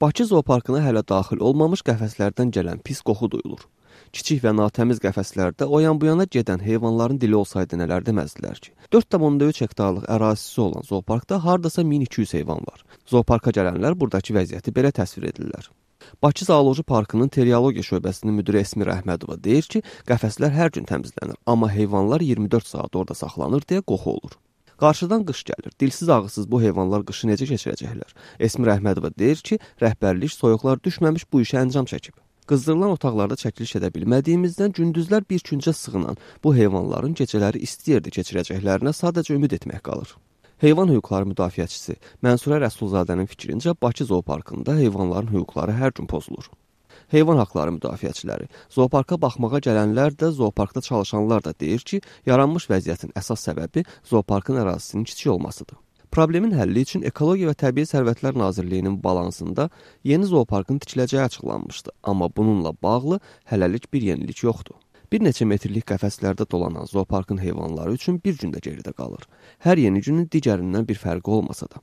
Bakı zooparkına hələ daxil olmamış qəfəslərdən gələn pis qoxu duyulur. Kiçik və natəmiz qəfəslərdə o yan bu yana gedən heyvanların dili olsaydı nələr deməzdilər ki. 4,3 hektarlıq ərazisi olan zooparkda hardasa 1200 heyvan var. Zooparka gələnlər buradakı vəziyyəti belə təsvir edirlər. Bakı Zooloji Parkının teriologiya şöbəsinin müdiri Esmir Əhmədova deyir ki, qəfəslər hər gün təmizlənir, amma heyvanlar 24 saat orada saxlanır deyə qoxu olur. Qarşıdan qış gəlir. Dilsiz ağızsız bu heyvanlar qışı necə keçirəcəklər? Esmir Əhmədova deyir ki, rəhbərlik soyuqlar düşməmiş bu işə əncam çəkib. Qızdırılan otaqlarda çəkiliş edə bilmədiyimizdən gündüzlər bir küncə sığınan bu heyvanların gecələri isti yerdə keçirəcəklərinə sadəcə ümid etmək qalır. Heyvan hüquqları müdafiəçisi Mənsurə Rəsulzadənin fikrincə Bakı zooparkında heyvanların hüquqları hər gün pozulur. Heyvan haqları müdafiəçiləri, zooparka baxmağa gələnlər də, zooparkda çalışanlar da deyir ki, yaranmış vəziyyətin əsas səbəbi zooparkın ərazisinin kiçik olmasıdır. Problemin həlli üçün Ekologiya və Təbii Sərvətlər Nazirliyinin balansında yeni zooparkın tikiləcəyi açıqlanmışdı, amma bununla bağlı hələlik bir yenilik yoxdur. Bir neçə metrlik qəfəslərdə dolanan zooparkın heyvanları üçün bir gün də geridə qalır. Hər yeni günün digərindən bir fərqi olmasa da.